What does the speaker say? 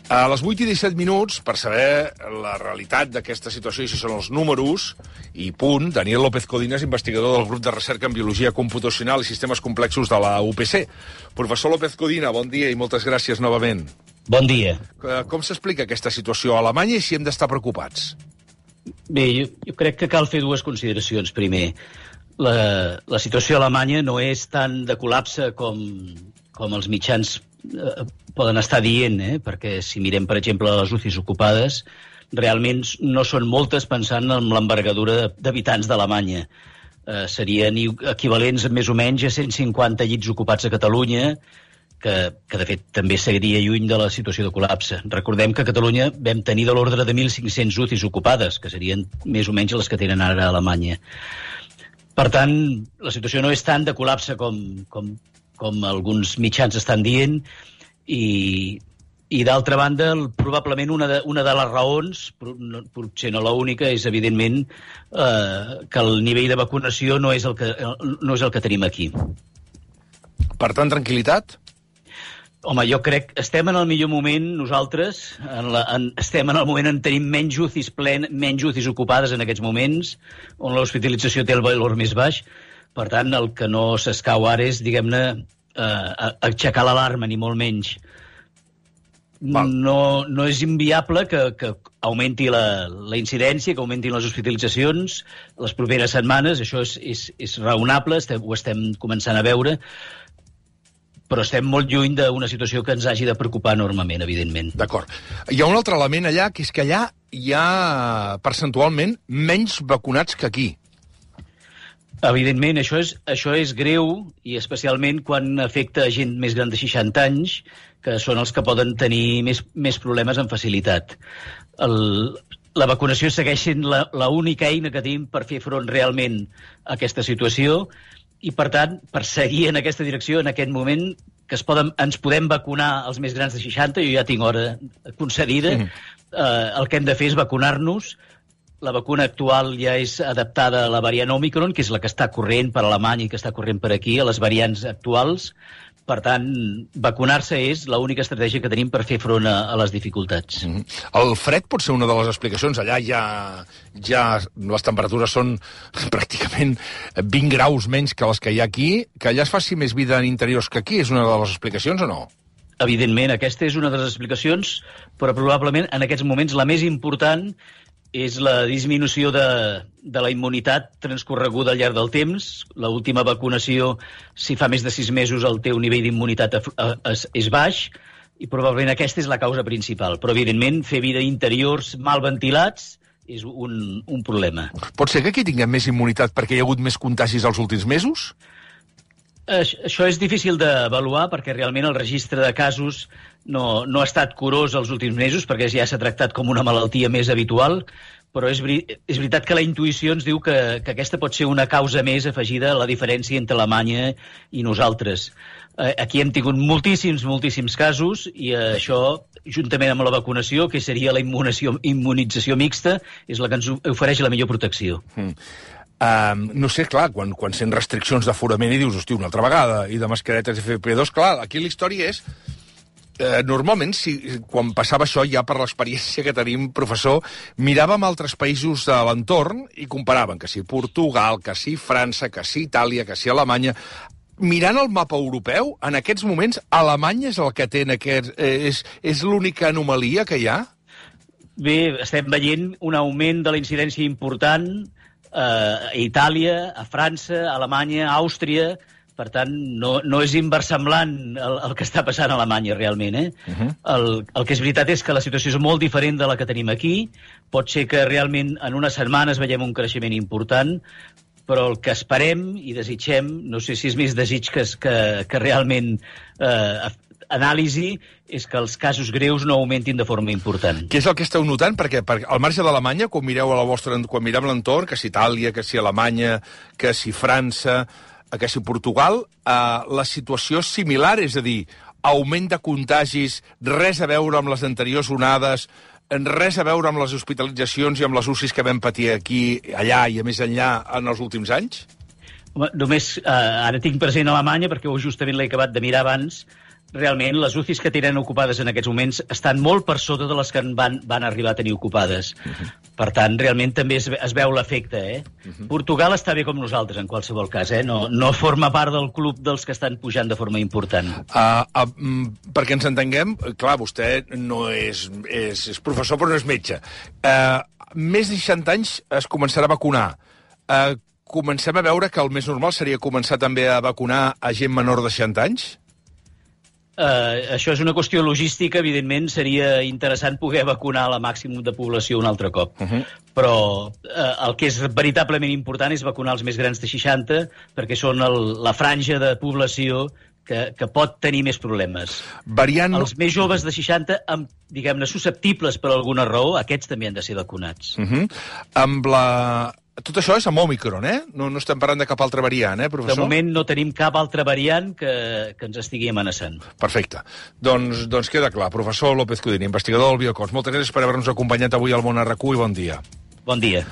A les 8:17, per saber la realitat d'aquesta situació i si són els números, i punt, Daniel López Codina és investigador del grup de recerca en Biologia Computacional i Sistemes Complexos de la UPC. Professor López Codina, bon dia i moltes gràcies novament. Bon dia. Com s'explica aquesta situació a Alemanya i si hem d'estar preocupats? Bé, jo crec que cal fer dues consideracions. Primer, la situació a Alemanya no és tan de col·lapse com els mitjans poden estar dient, perquè si mirem, per exemple, les UCIs ocupades, realment no són moltes pensant en l'envergadura d'habitants d'Alemanya. Serien equivalents més o menys a 150 llits ocupats a Catalunya, que de fet també seria lluny de la situació de col·lapse. Recordem que a Catalunya vam tenir de l'ordre de 1.500 UCIs ocupades, que serien més o menys les que tenen ara a Alemanya. Per tant, la situació no és tant de col·lapse com alguns mitjans estan dient, i d'altra banda, probablement una de les raons, potser no l'única, és evidentment que el nivell de vacunació no és el que tenim aquí. Per tant, tranquil·litat? Home, jo crec que estem en el millor moment nosaltres, estem en el moment en tenim menys UCIs ocupades en aquests moments, on l'hospitalització té el valor més baix. Per tant, el que no s'escau ara és, diguem-ne, aixecar l'alarma, ni molt menys. No és inviable que augmenti la incidència, que augmentin les hospitalitzacions les properes setmanes. Això és raonable, ho estem començant a veure, però estem molt lluny d'una situació que ens hagi de preocupar enormement, evidentment. D'acord. Hi ha un altre element allà, que és que allà hi ha percentualment menys vacunats que aquí. Evidentment, això és greu, i especialment quan afecta a gent més gran de 60 anys, que són els que poden tenir més problemes amb facilitat. La vacunació segueix sent l'única eina que tenim per fer front realment a aquesta situació, i, per tant, per seguir en aquesta direcció, en aquest moment, que ens podem vacunar els més grans de 60, jo ja tinc hora concedida, el que hem de fer és vacunar-nos. La vacuna actual ja és adaptada a la variant Omicron, que és la que està corrent per Alemanya i que està corrent per aquí, a les variants actuals. Per tant, vacunar-se és l'única estratègia que tenim per fer front a les dificultats. El fred pot ser una de les explicacions. Allà ja les temperatures són pràcticament 20 graus menys que les que hi ha aquí. Que allà es faci més vida en interiors que aquí és una de les explicacions o no? Evidentment, aquesta és una de les explicacions, però probablement en aquests moments la més important és la disminució de la immunitat transcorreguda al llarg del temps. L'última vacunació, si fa més de 6 mesos el teu nivell d'immunitat és baix, i probablement aquesta és la causa principal. Però, evidentment, fer vida interiors mal ventilats és un problema. Pot ser que aquí tinguem més immunitat perquè hi ha hagut més contagis els últims mesos? Això és difícil d'avaluar perquè realment el registre de casos no ha estat curós els últims mesos, perquè ja s'ha tractat com una malaltia més habitual, però és veritat que la intuïció ens diu que aquesta pot ser una causa més afegida a la diferència entre Alemanya i nosaltres. Aquí hem tingut moltíssims casos, i això, juntament amb la vacunació, que seria la immunització mixta, és la que ens ofereix la millor protecció. No sé, clar, quan sent restriccions d'aforament i dius, hosti, una altra vegada, i de mascaretes FFP2, clar, aquí la història és... Normalment, quan passava això, ja per l'experiència que tenim, professor, miràvem altres països de l'entorn i comparàvem que si Portugal, que si França, que si Itàlia, que si Alemanya... Mirant el mapa europeu, en aquests moments, Alemanya és el que té és l'única anomalia que hi ha? Bé, estem veient un augment de la incidència important a Itàlia, a França, a Alemanya, a Àustria. Per tant, no és inversemblant el que està passant a Alemanya, realment. El que és veritat és que la situació és molt diferent de la que tenim aquí. Pot ser que realment en unes setmanes veiem un creixement important, però el que esperem i desitgem, no sé si és més desig que realment anàlisi, és que els casos greus no augmentin de forma important. Què és el que esteu notant? Perquè al marge d'Alemanya, quan mirem l'entorn, que si Itàlia, que si Alemanya, que si França, que si Portugal, la situació és similar, és a dir, augment de contagis, res a veure amb les anteriors onades, res a veure amb les hospitalitzacions i amb les UCIs que vam patir aquí, allà i a més enllà en els últims anys? Només, ara tinc present Alemanya, perquè justament l'he acabat de mirar abans. realment les UCIs que tenen ocupades en aquests moments estan molt per sota de les que van arribar a tenir ocupades. Per tant, realment també es veu l'efecte. Portugal està bé com nosaltres, en qualsevol cas. No forma part del club dels que estan pujant de forma important. Perquè ens entenguem, clar, vostè no és professor però no és metge. Més de 60 anys es començarà a vacunar. Comencem a veure que el més normal seria començar també a vacunar a gent menor de 60 anys? Això és una qüestió logística. Evidentment, seria interessant poder vacunar la màxim de població un altre cop. Però el que és veritablement important és vacunar els més grans de 60, perquè són la franja de població que pot tenir més problemes. Els més joves de 60, diguem-ne, susceptibles per alguna raó, aquests també han de ser vacunats. Tot això és amb Òmicron, No estem parlant de cap altra variant, professor? De moment no tenim cap altra variant que ens estigui amenaçant. Perfecte. Doncs queda clar. Professor López Codina, investigador del Biocos. Moltes gràcies per haver-nos acompanyat avui al Món RQ i bon dia. Bon dia.